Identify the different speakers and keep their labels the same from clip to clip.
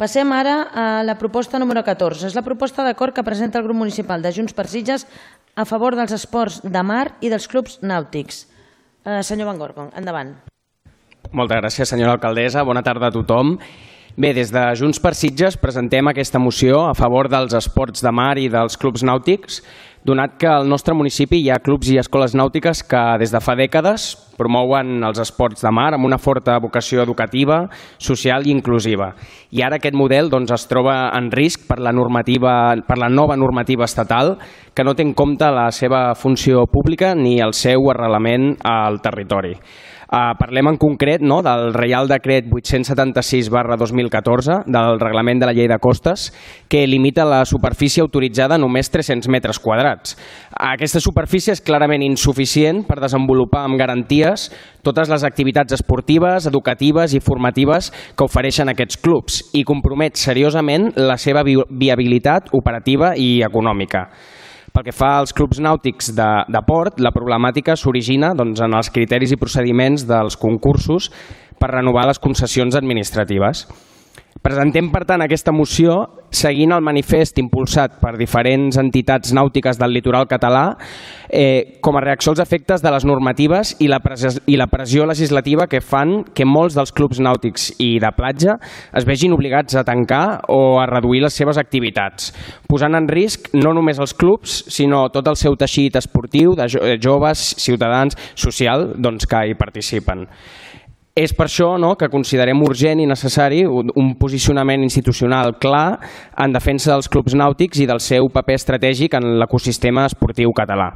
Speaker 1: Passem ara a la proposta número 14. És la proposta d'acord que presenta el grup municipal de Junts per Sitges a favor dels esports de mar i dels clubs nàutics. Senyor Van Gorgon, endavant.
Speaker 2: Moltes gràcies, senyora alcaldessa. Bona tarda a tothom. Bé, des de Junts per Sitges presentem aquesta moció a favor dels esports de mar i dels clubs nàutics, donat que al nostre municipi hi ha clubs i escoles nàutiques que des de fa dècades promouen els esports de mar amb una forta vocació educativa, social i inclusiva. I ara aquest model es troba en risc per la nova normativa estatal que no té en compte la seva funció pública ni el seu arrelament al territori. Parlem en concret del Reial Decret 876/2014 del Reglament de la Llei de Costes, que limita la superfície autoritzada a només 300 metres quadrats. Aquesta superfície és clarament insuficient per desenvolupar amb garanties totes les activitats esportives, educatives i formatives que ofereixen aquests clubs i compromet seriosament la seva viabilitat operativa i econòmica. Pel que fa als clubs nàutics de port, la problemàtica s'origina en els criteris i procediments dels concursos per renovar les concessions administratives. Presentem, per tant, aquesta moció seguint el manifest impulsat per diferents entitats nàutiques del litoral català com a reacció als efectes de les normatives i la pressió legislativa que fan que molts dels clubs nàutics i de platja es vegin obligats a tancar o a reduir les seves activitats, posant en risc no només els clubs, sinó tot el seu teixit esportiu de joves, ciutadans, social, que hi participen. És per això que considerem urgent i necessari un posicionament institucional clar en defensa dels clubs nàutics i del seu paper estratègic en l'ecosistema esportiu català.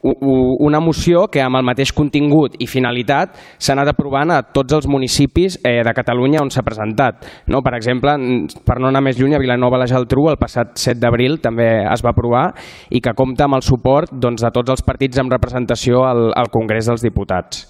Speaker 2: Una moció que amb el mateix contingut i finalitat s'ha anat aprovant a tots els municipis de Catalunya on s'ha presentat. Per exemple, per no anar més lluny, a Vilanova i la Geltrú el passat 7 d'abril també es va aprovar i que compta amb el suport de tots els partits amb representació al Congrés dels Diputats.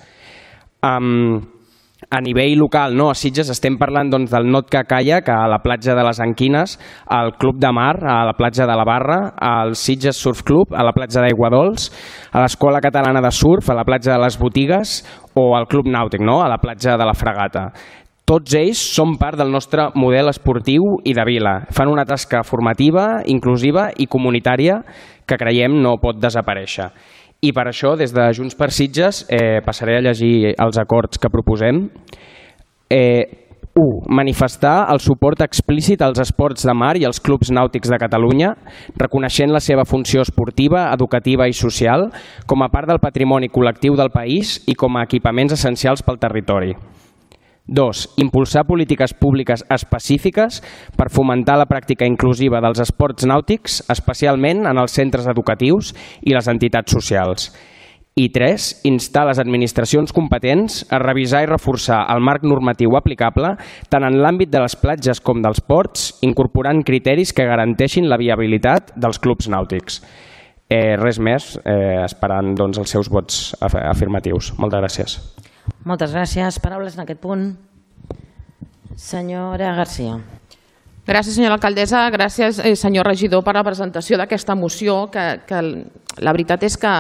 Speaker 2: A nivell local, a Sitges, estem parlant del Nautica Kayak a la platja de les Anquines, al Club de Mar a la platja de la Barra, al Sitges Surf Club a la platja d'Aiguadols, a l'Escola Catalana de Surf a la platja de les Botigues o al Club Nàutic a la platja de la Fragata. Tots ells són part del nostre model esportiu i de vila. Fan una tasca formativa, inclusiva i comunitària que creiem no pot desaparèixer. I per això, des de Junts per Sitges, passaré a llegir els acords que proposem. 1. Manifestar el suport explícit als esports de mar i als clubs nàutics de Catalunya, reconeixent la seva funció esportiva, educativa i social com a part del patrimoni col·lectiu del país i com a equipaments essencials pel territori. 2. Impulsar polítiques públiques específiques per fomentar la pràctica inclusiva dels esports nàutics, especialment en els centres educatius i les entitats socials. I 3. Instar les administracions competents a revisar i reforçar el marc normatiu aplicable tant en l'àmbit de les platges com dels ports, incorporant criteris que garanteixin la viabilitat dels clubs nàutics. Res més, esperant els seus vots afirmatius. Moltes gràcies.
Speaker 1: Moltes gràcies. Paraules en aquest punt. Senyora Garcia.
Speaker 3: Gràcies, senyora alcaldessa. Gràcies, senyor regidor, per la presentació d'aquesta moció, que la veritat és que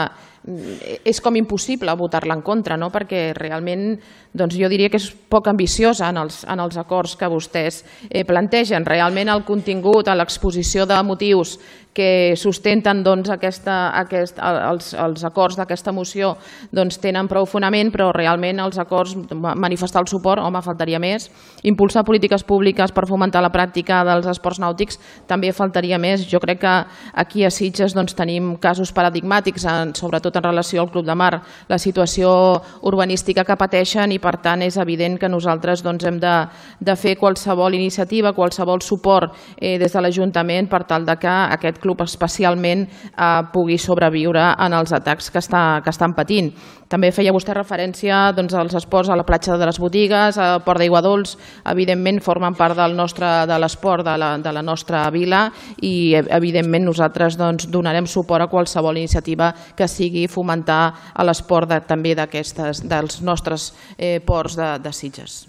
Speaker 3: és com impossible votar-la en contra, perquè realment jo diria que és poc ambiciosa en els acords que vostès plantegen. Realment el contingut, l'exposició de motius que sustenten els acords d'aquesta moció tenen prou fonament, però realment els acords, manifestar el suport, home, faltaria més. Impulsar polítiques públiques per fomentar la pràctica dels esports nàutics també faltaria més. Jo crec que aquí a Sitges tenim casos paradigmàtics, sobretot en relació al Club de Mar, la situació urbanística que pateixen, i per tant és evident que nosaltres hem de fer qualsevol iniciativa, qualsevol suport des de l'Ajuntament per tal que aquest club especialment pugui sobreviure en els atacs que estan patint. També feia vostè referència als esports a la platja de les Botigues, al Port d'Aiguadols, evidentment formen part de l'esport de la nostra vila, i evidentment nosaltres donarem suport a qualsevol iniciativa que sigui fomentar l'esport també dels nostres ports de Sitges.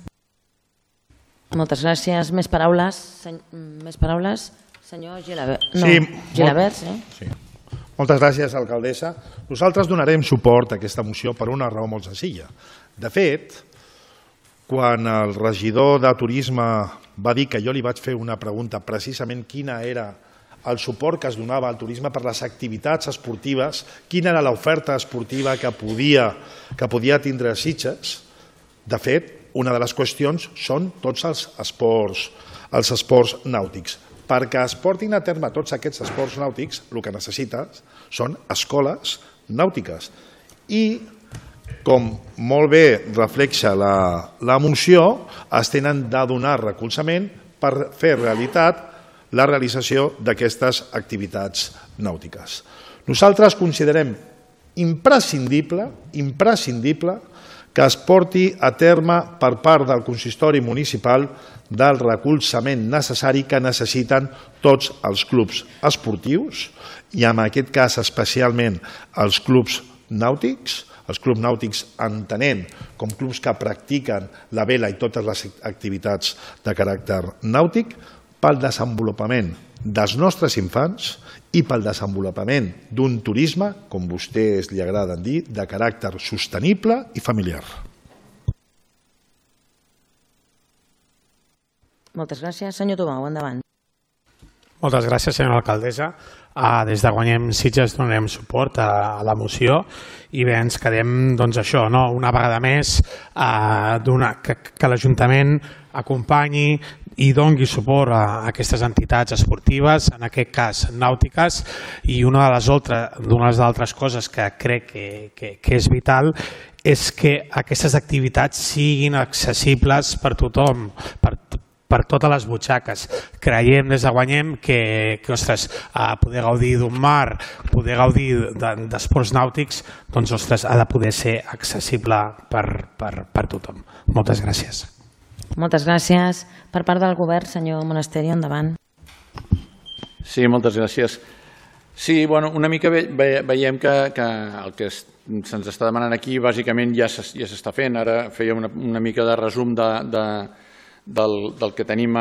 Speaker 1: Moltes gràcies. Més paraules? Senyor Gilabert.
Speaker 4: Sí. Moltes gràcies, alcaldessa. Nosaltres donarem suport a aquesta moció per una raó molt senzilla. De fet, quan el regidor de Turisme va dir que jo li vaig fer una pregunta precisament quina era el suport que es donava al turisme per les activitats esportives, quina era l'oferta esportiva que podia tindre Sitges. De fet, una de les qüestions són tots els esports nàutics. Perquè es portin a terme tots aquests esports nàutics, el que necessites són escoles nàutiques. I, com molt bé reflexa la moció, es tenen de donar recolzament per fer realitat la realització d'aquestes activitats nàutiques. Nosaltres considerem imprescindible que es porti a terme per part del consistori municipal del recolzament necessari que necessiten tots els clubs esportius i en aquest cas especialment els clubs nàutics, entenent com clubs que practiquen la vela i totes les activitats de caràcter nàutic, pel desenvolupament dels nostres infants i pel desenvolupament d'un turisme, com vostès li agraden dir, de caràcter sostenible i familiar.
Speaker 1: Moltes gràcies. Senyor Tomau, endavant.
Speaker 5: Moltes gràcies, senyora alcaldessa. Des de Guanyem Sitges donarem suport a la moció i bé, ens quedem això, una vegada més, que l'Ajuntament acompanyi i doni suport a aquestes entitats esportives, en aquest cas nàutiques, i una de les altres coses que crec que és vital és que aquestes activitats siguin accessibles per tothom, per totes les butxaques. Creiem des de Guanyem que poder gaudir d'un mar, poder gaudir d'esports nàutics, ha de poder ser accessible per tothom. Moltes gràcies.
Speaker 1: Moltes gràcies. Per part del govern, senyor Monasterio, endavant.
Speaker 6: Sí, moltes gràcies. Sí, una mica veiem que el que se'ns està demanant aquí bàsicament ja s'està fent. Ara feia una mica de resum del que tenim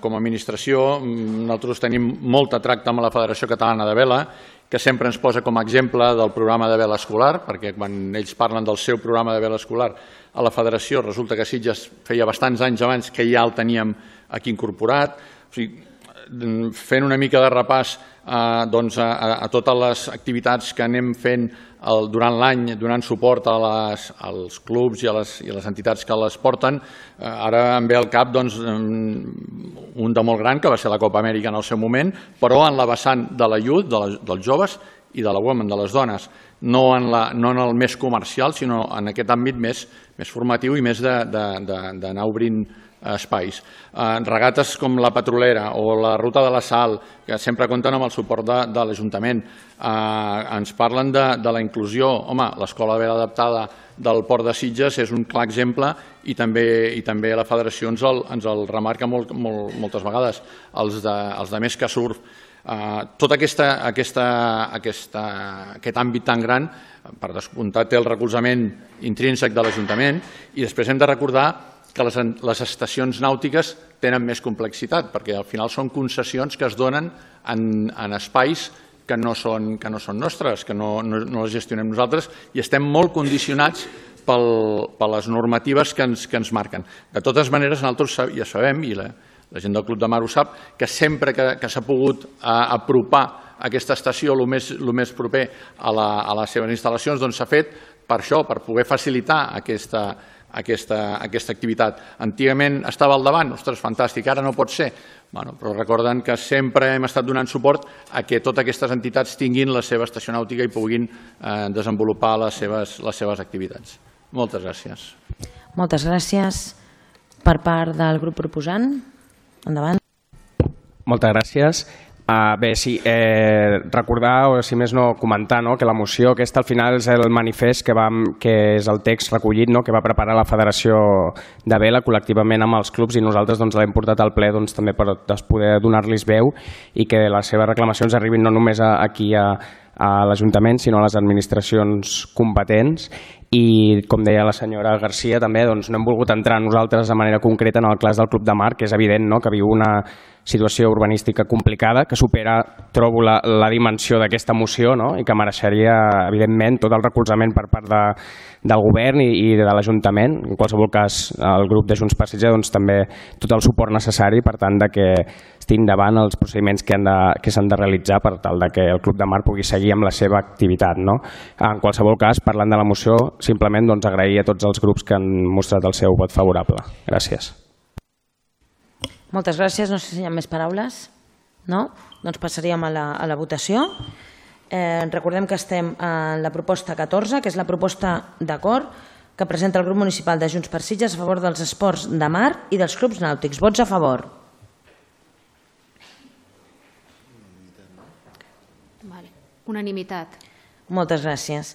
Speaker 6: com a administració. Nosaltres tenim molt de tracte amb la Federació Catalana de Vela, que sempre ens posa com a exemple del programa de vela escolar, perquè quan ells parlen del seu programa de vela escolar a la federació, resulta que Sitges feia bastants anys abans que ja el teníem aquí incorporat. O sigui, fent una mica de repàs a totes les activitats que anem fent durant l'any, donant suport als clubs i a les entitats que les porten. Ara em ve al cap un de molt gran, que va ser la Copa Amèrica en el seu moment, però en la vessant de la youth, dels joves, i de la women, de les dones, no en el més comercial, sinó en aquest àmbit més formatiu i més d'anar obrint espais. Regates com la Petrolera o la Ruta de la Sal, que sempre compten amb el suport de l'Ajuntament, ens parlen de la inclusió. Home, l'Escola de Vela Adaptada del Port de Sitges és un clar exemple i també la Federació ens el remarca moltes vegades. Els de Més que Surf. Tot aquest àmbit tan gran, per descomptat, té el recolzament intrínsec de l'Ajuntament, i després hem de recordar que les estacions nàutiques tenen més complexitat, perquè al final són concessions que es donen en espais que no són nostres, que no les gestionem nosaltres, i estem molt condicionats per les normatives que ens marquen. De totes maneres, nosaltres ja sabem, i la gent del Club de Mar ho sap, que sempre que s'ha pogut apropar aquesta estació el més proper a les seves instal·lacions, doncs s'ha fet per això, per poder facilitar aquesta activitat. Antigament estava al davant, ostres, fantàstic, ara no pot ser, però recorden que sempre hem estat donant suport a que totes aquestes entitats tinguin la seva estació nàutica i puguin desenvolupar les seves activitats. Moltes gràcies.
Speaker 1: Moltes gràcies. Per part del grup proposant, endavant.
Speaker 2: Moltes gràcies. Bé, sí, recordar, o si més no, comentar que la moció aquesta al final és el manifest que és el text recollit que va preparar la Federació de Vela col·lectivament amb els clubs, i nosaltres l'hem portat al ple també per poder donar-los veu i que les seves reclamacions arribin no només aquí a l'Ajuntament, sinó a les administracions competents, i, com deia la senyora Garcia, també no hem volgut entrar nosaltres de manera concreta en el cas del Club de Mar, que és evident que viu una situació urbanística complicada, que supera, trobo, la dimensió d'aquesta moció i que mereixeria, evidentment, tot el recolzament per part del govern i de l'Ajuntament. En qualsevol cas, el grup de Junts per Sitges també tot el suport necessari per tant que estigui endavant els procediments que s'han de realitzar per tal que el Club de Mar pugui seguir amb la seva activitat. En qualsevol cas, parlant de la moció, simplement agrair a tots els grups que han mostrat el seu vot favorable. Gràcies.
Speaker 1: Moltes gràcies. No sé si hi ha més paraules. No? Doncs passaríem a la votació. Recordem que estem en la proposta 14, que és la proposta d'acord que presenta el grup municipal de Junts per Sitges a favor dels esports de mar i dels clubs nàutics. Vots a favor?
Speaker 7: Unanimitat.
Speaker 1: Moltes gràcies.